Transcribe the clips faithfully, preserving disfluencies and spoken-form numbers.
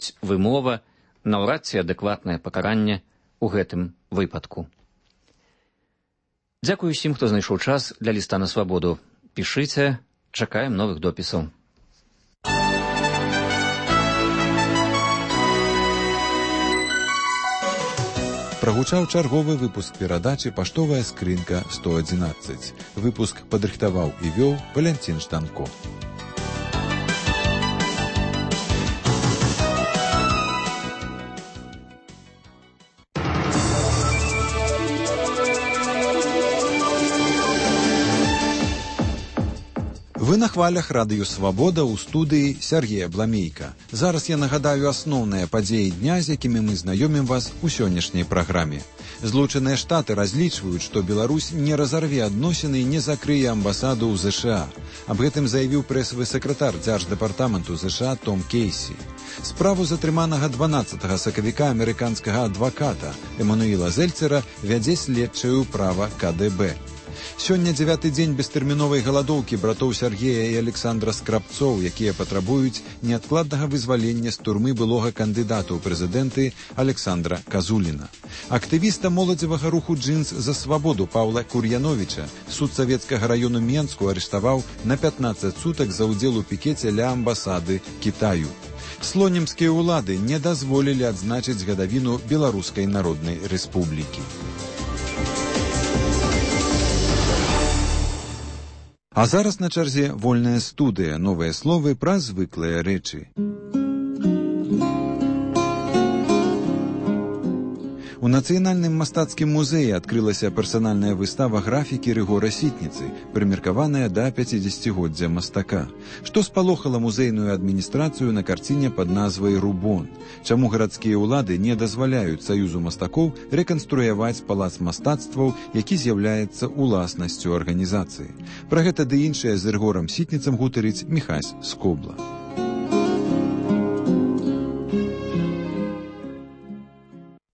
ёсць вымова, наўрад ці адэкватнае пакаранне ў гэтым выпадку. Дзякую усім, хто знайшоў час для ліста на свабоду. Пішыце, чакаем новых допісаў. Прагучаў чарговы выпуск перадачы «Паштовая скрынка сто адзінаццаць». Выпуск падрыхтаваў і вёў Валянцін Штанко. Вы на хвалях радыё «Свабода» ў студыі Сергея Бламейка. Зараз я нагадаю асноўныя падзеі дня, з якімі мы знаёмім вас у сённяшняй праграме. Злучаныя Штаты разлічваюць, што Беларусь не разарве адносіны і не закрые амбасаду ў ЗША. Аб гэтым заявіў прэсавы сакратар дзярждэпартаменту ЗША Том Кейсі. Справу затрыманага дванаццатага сакавіка амерыканскага адваката Эмануіла Зельцера вядзе следчая ўправа ка дэ бэ. Сёння дзявяты дзень бестэрміновай галадоўкі братоў Сергея і Александра Скрабцоў, якія патрабуюць неадкладнага вызвалення з турмы былога кандыдата ў прэзідэнты Александра Казуліна. Актывіста моладзевага руху «Джинс за свабоду» Паўла Кур'яновіча суд савецкага раёну Менску арыштаваў на пятнаццаць сутак за ўдзел у пікеце ля амбасады Кітаю. Слонімскія ўлады не дазволілі адзначыць гадавіну Беларускай Народнай Рэспублікі. А зараз на чарзе вольная студыя, новыя словы пра звыклыя рэчы. У Нацыянальным мастацкім музеі адкрылася персанальная выстава графікі Рыгора Сітніцы, прымеркаваная да пяцідзесяцігоддзя мастака. Што спалохала музейную адміністрацыю на карціне пад назвай «Рубон»? Чаму гарадскія ўлады не дазваляюць Саюзу мастакоў рэканструяваць палац мастацтваў, які з'яўляецца уласнасцю арганізацыі? Пра гэта ды іншае з Рыгорам Сітніцам гутарыць Міхась Скобла.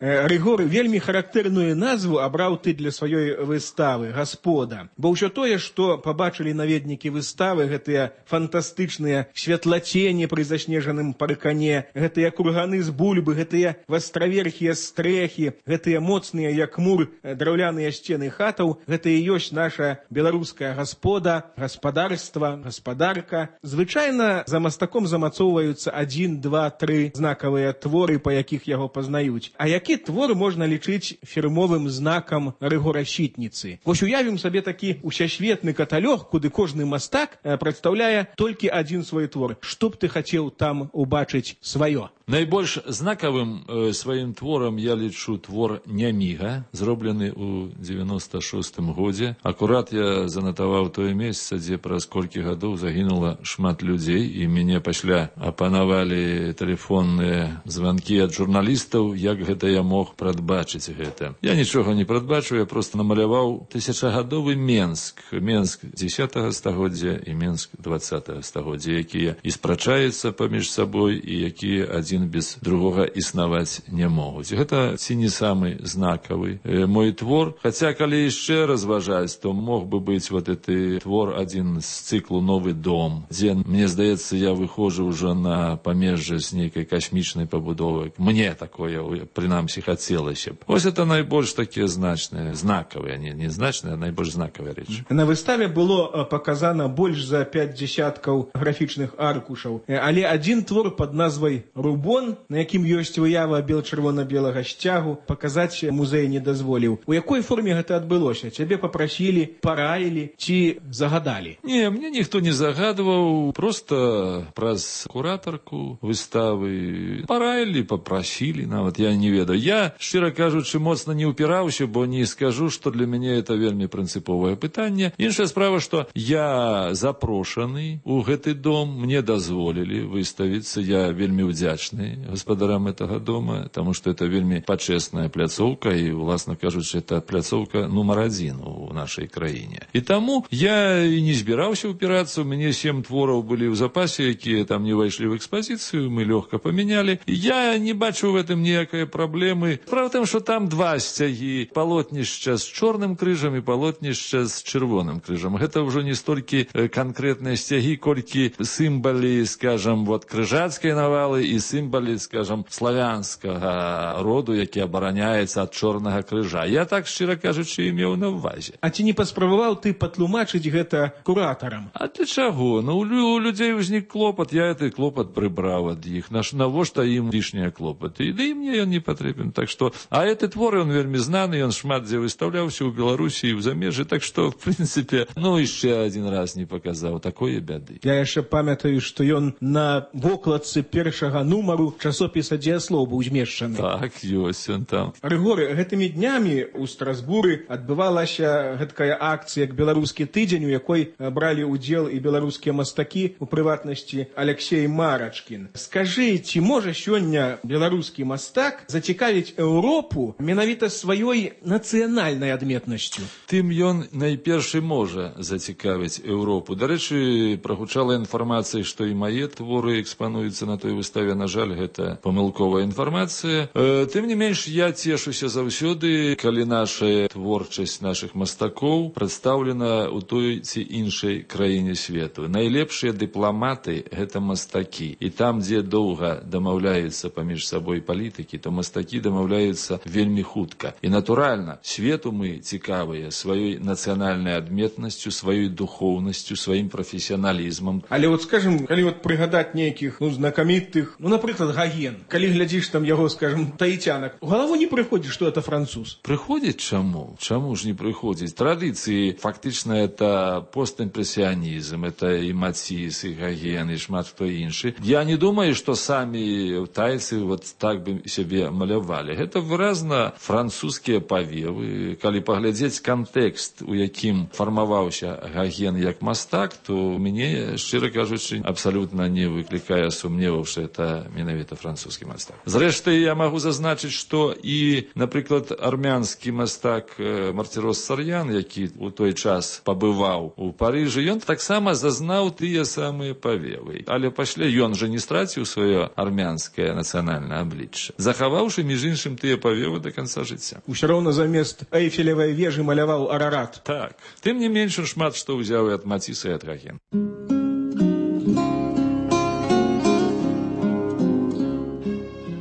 Рыгор вельмі характэрную назву абраў ты для сваёй выставы «Гаспода». Бо ўсё тое, што пабачылі наведнікі выставы, гэтыя фантастычныя святлацені пры заснежаным паркане, гэтыя курганы з бульбы, гэтыя вастраверхія стрэхі, гэтыя моцныя, як мур, драўляныя сцены хатаў, гэта і ёсць наша беларуская гаспода, гаспадарства, гаспадарка. Звычайна за мастаком замацоўваюцца адзін, два, тры знакавыя творы, па якіх яго пазнаюць. А які твор можна лічыць фірмовым знакам Рыгора Сітніцы? Вось уявім сабе такі усесветны каталог, куды кожны мастак прадстаўляе толькі адзін свой твор. Што б ты хацеў там убачыць сваё? Найбольш знакавым э, сваім творам я лічу твор «Няміга», зроблены ў дзевяноста шостым годзе. Акурат я занатаваў тое месца, дзе праз колькі гадоў загінула шмат людзей, і мяне пасля апанавалі тэлефонныя званкі ад журналістаў, як гэта я мог прадбачыць гэта. Я нічога не прадбачыў, я проста намаляваў тысячагадовы Менск, Менск дзесятага стагоддзя і Менск дваццатага стагоддзя, якія і спрачаюцца паміж сабой, і якія адзін без другога існаваць не могуць. Гэта ці не самы знакавы э, мой твор. Хаця, калі яшчэ разважаць, то мог бы быць вот гэты твор адзін з цыклу «Новы дом», дзе, мне здаецца, я выходжу ўжо на памежжа з нейкай касмічнай пабудовы. Мне такое, прынамсі, хацелася б. Вось это найбольш такія значныя, знакавыя, не, не значныя, а найбольш знакавыя рэчы. На выставе было паказана больш за пяць дзесяткаў графічных аркушаў, але адзін твор пад назвай «Рубон», на якім ёсць выява бел-чырвона-белага сцягу, паказаць музей не дазволіў. У якой форме гэта адбылося? Цябе папрасілі, параілі ці загадалі? Не, мне ніхто не загадваў, проста праз куратарку выставы параілі, папрасілі, нават я не ведаю. Я, шчыра кажучы, моцна не ўпіраўся, бо не скажу, што для мяне это вельмі прынцыповае пытанне. Іншая справа, што я запрошаны ў гэты дом, мне дазволілі выставіцца, я вельмі ўдзячны гаспадарам этого дома, потому что это вельмі пачэсная пляцоўка, і, уласна кажучы, это пляцоўка нумар адзін у нашай краіне. І таму я і не збіраўся ўпірацца, у мяне сем твораў былі ў запасе, якія там не ўвайшлі ў экспазіцыю, мы лёгка памянялі. Я не бачу ў гэтым ніякай праблемы. праблемы. Справа в тым, што там два сцягі, палотнішча з чорным крыжам і палотнішча з чырвоным крыжам. Гэта ўжо не столькі канкрэтныя сцягі, колькі сімвалы, скажам, вот крыжацкай навалы і сімвалы, скажам, славянскага роду, які абараняецца ад чорнага крыжа. Я так, шчыра кажучы, і меў на ўвазе. А ці не паспрабаваў ты патлумачыць гэта куратарам? А для чаго? Ну, у людзей узнік клопат, я гэты клопат прыбраў ад іх. Навошта ім лішнія клопаты? І да і мне ён не патрэбен. Так што, а гэты твор, ён вельмі знаны, ён шмат дзе выстаўляўся ў Беларусі і ў замежжы, так што, в прынцыпе, ну, яшчэ адзін раз не паказаў такое бяды. Я яшчэ памятаю, што ён на вокладцы першага нумару часопіса «Дзеяслоў» быў змешчаны. Так, ёсць ён там. Рыгоры, гэтымі днямі ў Страсбуры адбывалася гэткая акцыя як беларускі тыдзень, у якой бралі ўдзел і беларускія мастакі, у прыватнасці Алексей Марачкін. Скажы, ці можа сёння беларускі мастак зацікавіць Еўропу менавіта сваёй нацыянальнай адметнасцю? Тым ён найперш і можа зацікавіць Еўропу. Дарэчы, прагучала інфармацыя, што і мае творы экспануюцца на той выставе. На жаль, гэта памылковая інфармацыя. Тым не менш, я цешуся заўсёды, калі наша творчасць нашых мастакоў прадстаўлена ў той ці іншай краіне свету. Найлепшыя дыпламаты – гэта мастакі. І там, дзе доўга дамаўляюцца паміж сабой палітыкі, то мастакі дамаўляюцца вельмі хутка. І, натуральна, свету мы цікавыя сваёй нацыянальнай адметнасцю, сваёй духоўнасцю, сваім прафесіяналізмам. Але вот, скажем, калі вот прыгадаць нейкіх, ну, знакамітых, ну, напрыклад, Гоген, калі глядзіш там яго, скажем, таіцянак, у галаву не прыходзіць, што это француз? Прыходзіць чаму? Чаму ж не прыходзіць? Традыцыі, фактычна, это постімпрэсіянізм, это і Маціс, і Гоген, і шмат хто іншы. Я не думаю, што самі тайцы вот так бы сябе малявалі. Гэта выразна французскія павевы. Калі паглядзець кантэкст, у якім фармаваўся Гоген як мастак, то мяне, шчыра кажучы, абсалютна не выклікае сумневаў, што это менавіта французскі мастак. Зрэшты, я магу зазначыць, што і, напрыклад, армянскі мастак Мартирос Сарьян, які у той час пабываў у Парыжы, ён таксама зазнаў тыя самыя павевы. Але пасля ён жа не страціў сваё армянскае нацыянальнае аблічча, захаваўшы, між іншым, тыя павевы да канца жыцця. Усё роўна замест Эйфелевай вежы маляваў Арарат. Так. Тым не менш, шмат што ўзяў і ад Маціса, і ад Гогена.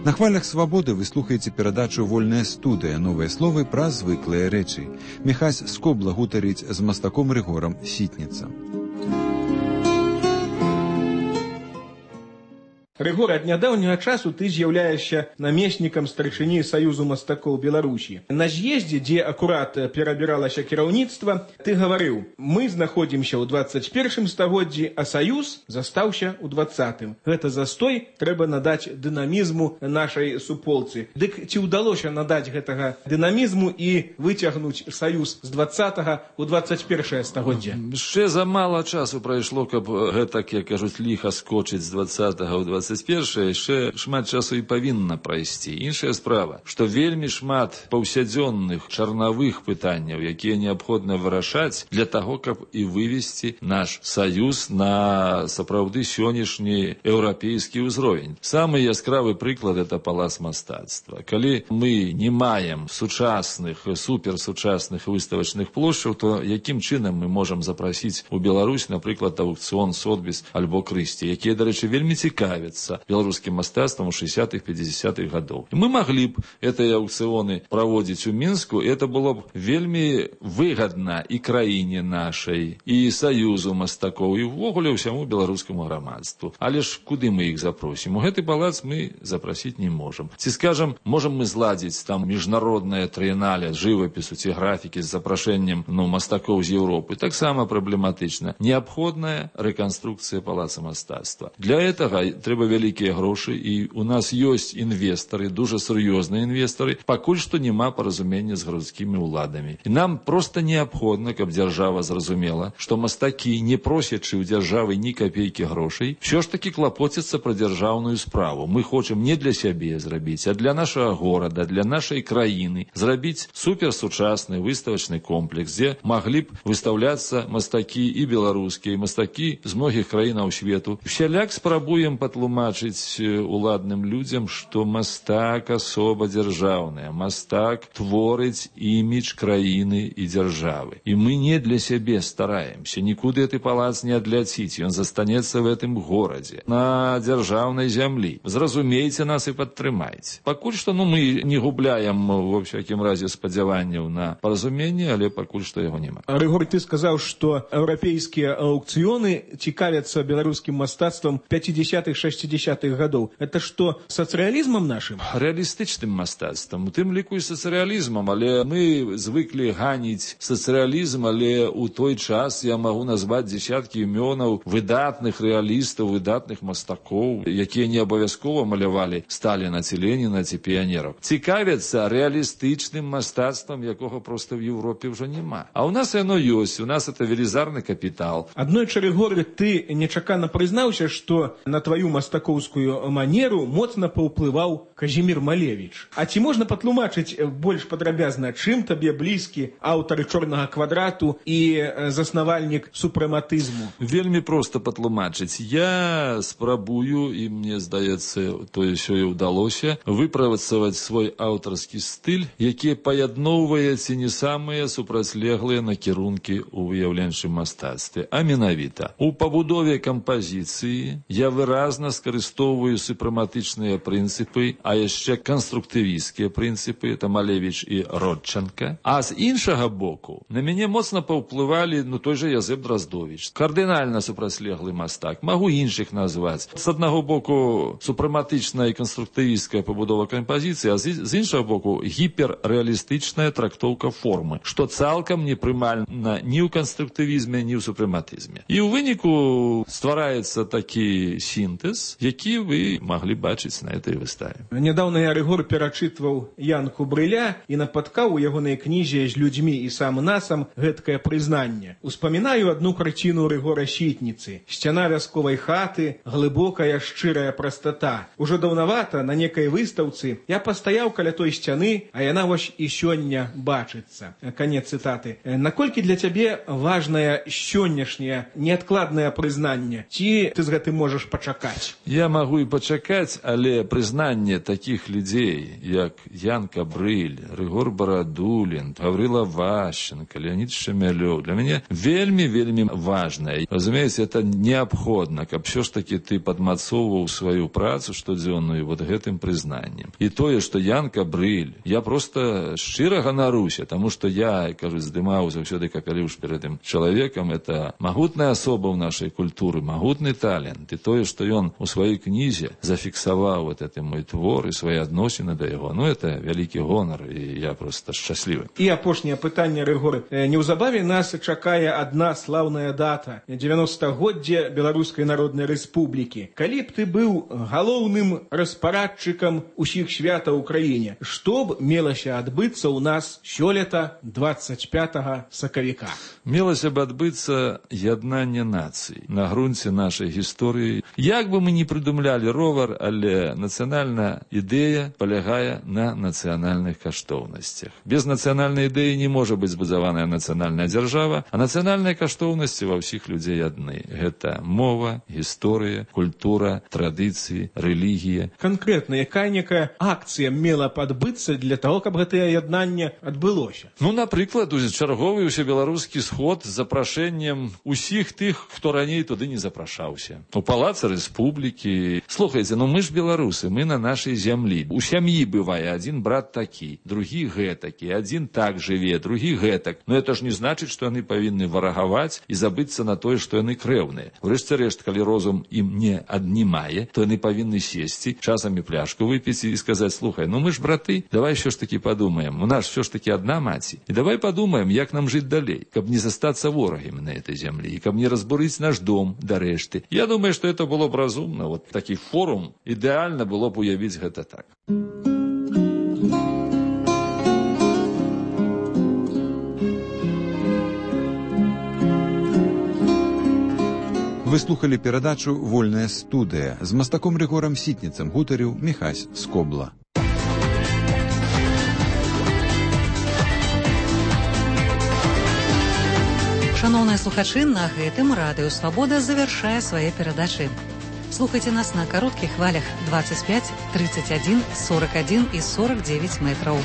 На хвалях свабоды вы слухаеце перадачу «Вольная студыя», новыя словы пра звыклыя рэчы. Міхась Скобла гутарыць з мастаком Рыгорам Сітніцам. Рыгор, ад нядаўняга часу ты з'яўляешся намеснікам старшыні Саюзу мастакоў Беларусі. На з'ездзе, дзе акурат перабіралася кіраўніцтва, ты гаварыў: мы знаходзімся ў дваццаць першым стагоддзі, а Саюз застаўся ў дваццатым. Гэта застой трэба надаць дынамізму нашай суполцы. Дык ці ўдалося надаць гэтага дынамізму і выцягнуць Саюз з дваццатага ў дваццаць першае стагоддзе? Яшчэ замала часу прайшло, каб гэтак, як кажуць, ліха скочыць з дваццатага ў дваццаць першае, яшчэ шмат часу і павінна прайсці. Іншая справа, што вельмі шмат паўсядзённых чарнавых пытанняў, якія неабходна вырашаць для таго, каб і вывесці наш Саюз на сапраўды сённяшні еўрапейскі ўзровень. Самы яскравы прыклад – это палац мастацтва. Калі мы не маем сучасных, суперсучасных выставачных плошчаў, то якім чынам мы можам запрасіць у Беларусь, напрыклад, аукцыён Сотбіс альбо Крысці, якія, дарэчы, вельмі цікавяцца беларускім мастацтвам у шэсцятых пяцідзясятых гадоў. Мы маглі б гэтыя аукцыёны праводзіць у Мінску, і это было б вельмі выгадна і краіне нашай, і Саюзу мастакоў, і ўвогуле ўсяму беларускаму грамадству. Але ж куды мы іх запросім? У гэты палац мы запрасіць не можам. Ці, скажам, можам мы зладзіць там міжнароднае трыенале жывапісу ці графікі з запрашэннем, ну, мастакоў з Еўропы? Таксама праблематычна. Неабходная рэканструкцыя палаца мастацтва. Для гэтага трэба вялікія грошы, і у нас ёсць інвестары, дуже сур'ёзныя інвестары, пакуль што няма паразумення з гарадскімі ўладамі. І нам проста неабходна, каб дзяржава зразумела, што мастакі, не просячы ў дзяржавы ні капейкі грошай, ўсё ж такі клапоцяцца пра дзяржаўную справу. Мы хочам не для сябе зрабіць, а для нашага горада, для нашай краіны зрабіць суперсучасны выставачны комплекс, дзе маглі б выстаўляцца мастакі і беларускія, і мастакі з многіх краінаў свету. Усяляк спрабуем патлумачыць патлумачыць уладным людзям, што мастак асоба дзяржаўная, мастак творыць імідж краіны і дзяржавы. І мы не для сябе стараемся, нікуды гэты палац не адляціць, ён застанецца в гэтым горадзе, на дзяржаўнай зямлі. Зразумейце нас і падтрымайце. Пакуль што ну, мы не губляем, во всякім разе, спадзяванняў на паразуменне, але пакуль што яго няма. Рыгор, ты сказаў, што еўрапейскія аўкцыёны цікавяцца беларускім мастацтвам пяцідзясятых-шэсцідзясятых гадоў. Это што, сацыялізмам нашым? Рэалістычным мастацтвам, у тым ліку і сацыялізмам, але мы звыклі ганіць сацыялізм, але ў той час я магу назваць дзесяткі імёнаў выдатных рэалістаў, выдатных мастакоў, якія не абавязкова малявалі Сталіна ці Леніна ці піянераў. Цікавяцца рэалістычным мастацтвам, якога проста в Европе ўжо няма. А ў нас яно ёсць, у нас это велізарны капітал. Аднойчы, Рыгор, ты нечакана прызнаўся, што на тваю мастакоўскую манеру моцна паўплываў Казімір Малевіч. А ці можна патлумачыць больш падрабязна, чым табе блізкі аўтар «Чорнага квадрату» і заснавальнік супрэматызму? Вельмі проста патлумачыць. Я спрабую, і мне здаецца, тое сёе ўдалося, выпрацаваць свой аўтарскі стыль, які паядноўвае ці не самыя супрацьлеглыя накірункі ў выяўленчым мастацтве. А менавіта, у пабудове кампазіцыі я выразна скарыстоўваю супрэматычныя прынцыпы, а яшчэ канструктывісцкія прынцыпы, это Малевіч і Родченка. А з іншага боку, на мяне моцна паўплывалі ну, той жа Язэп Драздовіч. Кардынальна супрацьлеглы мастак. Магу іншых назваць. З аднаго боку, супрэматычная і канструктывісцкая пабудова кампазіцыі, а з іншага боку, гіперрэалістычная трактоўка формы, што цалкам непрымальна ні ў канструктывізме, ні ў супрэматызме. І ў выніку ствараецца такі сінтэз, які вы маглі бачыць на этой выставе. Нядаўна я, Рыгор, перачытваў Янку Брыля і напаткаў у ягонай кнізе «З людзьмі і сам насам» гэткае прызнанне. Успамінаю адну карціну Рыгора Сітніцы. Сцяна вясковай хаты, глыбокая шчырая прастата. Ужо даўнавата на некай выстаўцы я пастаяў каля той сцяны, а яна вось і сёння бачыцца. Канец цытаты. Наколькі для цябе важнае сённяшняе неадкладнае прызнанне? Ці ты з гэтым можаш пачакаць? Я магу і пачакаць, але прызнанне такіх людзей, як Янка Брыль, Рыгор Барадулін, Гаврыла Ващенко, Леонид Шемялёў, для мяне вельмі-вельмі важнае. Разумееце, это неабходна, каб все ж таки ты падмацоўваў сваю працу штодзённую вот гэтым прызнаннем. І тое, што Янка Брыль, я просто шчыра ганаруся, таму што я, кажу, здымаў заўсёды капялюш перед тым чалавекам, это магутная асоба ў нашай культуры, магутны талент. І тое, што ён у сваёй кнізе зафіксаваў вот это мой твор і свае адносіны да яго, ну это вялікі гонар, і я просто шчаслівы. І апошняе пытанне, Рыгор. Неўзабаве нас чакае адна слаўная дата – дзевяностагоддзе Беларускай Народнай Рэспублікі. Калі б ты быў галоўным распарадчыкам усіх святаў у краіне, што б мелася адбыцца ў нас сёлета дваццаць пятага сакавіка? Мелася б адбыцца яднанне нацый на грунце нашай гісторыі. Як бы мы не прыдумлялі ровар, але нацыянальная ідэя палягае на нацыянальных каштоўнасцях. Без нацыянальнай ідэі не можа быць збудаваная нацыянальная дзяржава, а нацыянальныя каштоўнасці ва ўсіх людзей адны. Гэта мова, гісторыя, культура, традыцыі, рэлігія. Канкрэтна, якая некая акцыя мела б адбыцца для таго, каб гэтае яднанне адбылося? Ну, напрыклад, чарговы ўсебеларускі сход з запрашэннем усіх тых, хто раней туды не запрашаўся. У палацы Рэспублікі. Слухайце, ну мы ж беларусы, мы на нашай зямлі. У сям'і бывае адзін брат такі, другі гэтакі, адзін так жыве, другі гэтак. Но это ж не значыць, што яны павінны варагаваць і забыцца на тое, што яны крэўныя. Урэшце рэшт, калі розум ім не аднімае, то яны павінны сесці, часамі пляшку выпіць і сказаць: слухай, ну мы ж браты, давай що ж таки падумаем, у нас все ж таки одна маці. І давай падумаем, як нам жыць далей, каб не застацца ворагамі на этой зямлі, і каб не разбурыць наш дом да рэшты. Я думаю, што это было б разумна. Вот такі форум ідэальна было б уявіць гэта так. Вы слухали перадачу «Вольная студыя». З мастаком Рыгорам Сітніцам гутарыў Міхась Скобла. Шановныя слухачы, на гэтым Радыё Свабода завяршае свае перадачы. Слухайте нас на коротких хвалях двадцать пять, тридцать один, сорок один и сорок девять метраў.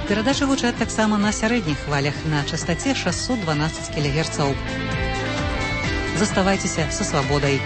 Перадачы гучаць таксама на сярэдніх хвалях на частоце шестьсот двенадцать килогерцаў. Заставайцеся са свабодай.